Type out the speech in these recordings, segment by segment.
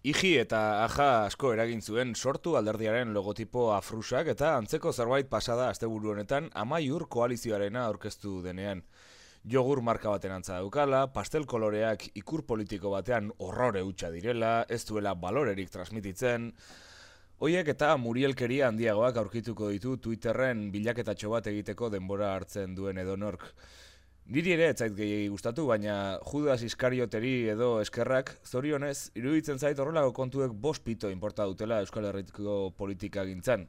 Iji eta aja asko eragin zuen sortu alderdiaren logotipo afrusak eta antzeko zerbait pasada asteburu honetan Amaiur koalizioarena aurkeztu denean. Jogur marka baten antza daukala, pastel koloreak ikur politiko batean horrore hutsa direla, ez duela balorerik transmititzen. Hoiek eta murielkeria handiagoak aurkituko ditu Twitterren bilaketatxo bat egiteko denbora hartzen duen edonork. Niri ere ez zait gehiegi gustatu, baina Judas Iskarioteri edo eskerrak, zorionez, iruditzen zait horrelako kontuek 5 pito inporta dutela Euskal Herriko politika gintzan.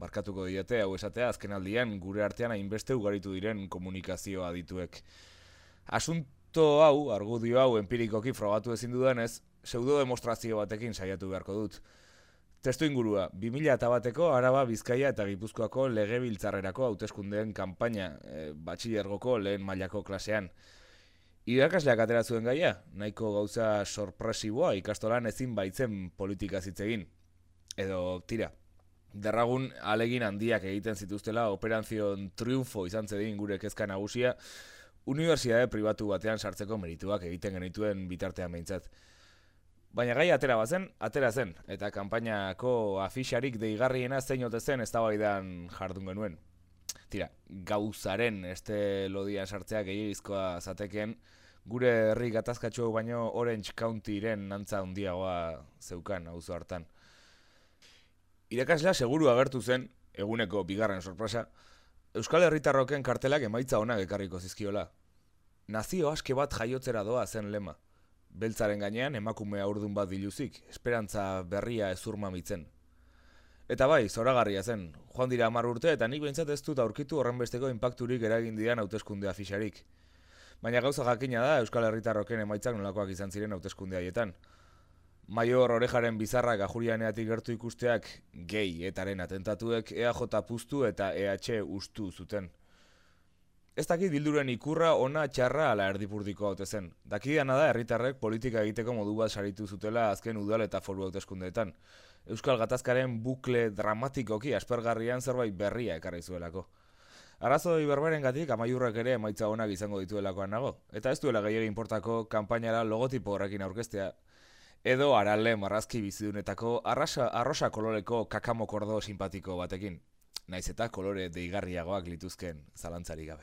Barkatuko diete hau esatea azkenaldian gure artean hainbeste ugaritu diren komunikazioa dituek. Asunto hau, argudio hau empirikoki frogatu ezin dudanez, pseudo-demostrazio batekin saiatu beharko dut. Testu ingurua, 2001ko Araba, Bizkaia eta Gipuzkoako legebiltzarrerako hauteskundeen kanpaina, batxilergoko lehen mailako klasean. Irakasleak atera zuen gaia, nahiko gauza sorpresiboa ikastolan ezin baitzen politika zitzegin. Edo, tira, derragun alegin handiak egiten zituztela Operazion Triunfo izan zedin gure kezka nagusia, unibertsitate pribatu batean sartzeko merituak egiten genituen bitartean behintzat. Baina gai atera zen, eta kanpainako afixarik deigarriena zein ote zen eztabaidan jardun genuen. Tira, gauzaren este lodian sartzea gehiagizkoa zateken, gure herri gatazkatxo baino Orange Countyren antza handiagoa zeukan auzo hartan. Irakaslea seguru agertu zen, eguneko bigarren sorpresa, Euskal Herritarroken kartelak emaitza onak ekarriko zizkiola. Nazio aske bat jaiotzera doa zen lema. Beltzaren gainean emakume haurdun bat diluzik, esperantza berria ezur mamitzen. Eta bai, zoragarria zen, joan dira 10 urte eta nik behintzat ez dut aurkitu horrenbesteko inpakturik eragin didan hauteskunde afixarik. Baina gauza jakina da Euskal Herritarroken emaitzak nolakoak izan ziren hauteskunde haietan. Maior Orejaren bizarrak Ajurianeatik gertu ikusteak gehi etaren atentatuek EAJ puztu eta EH ustu zuten. Ez dakit bilduren ikurra ona txarra ala erdipurdiko haute zen. Dakidana da herritarrek politika egiteko modu bat saritu zutela azken udal eta foru hauteskundeetan. Euskal gatazkaren bukle dramatikoki aspergarrian zerbait berria ekarri zuelako. Arrazoi berberengatik Amaiurrek ere emaitza onak izango dituelakoan nago, eta ez duela gehiegi inportako kanpainara logotipo horrekin aurkeztea, edo Arale marrazki bizidunetako arrosa koloreko kakamokordo simpatiko batekin. Naiz eta kolore deigarriagoak lituzken zalantzarik gabe.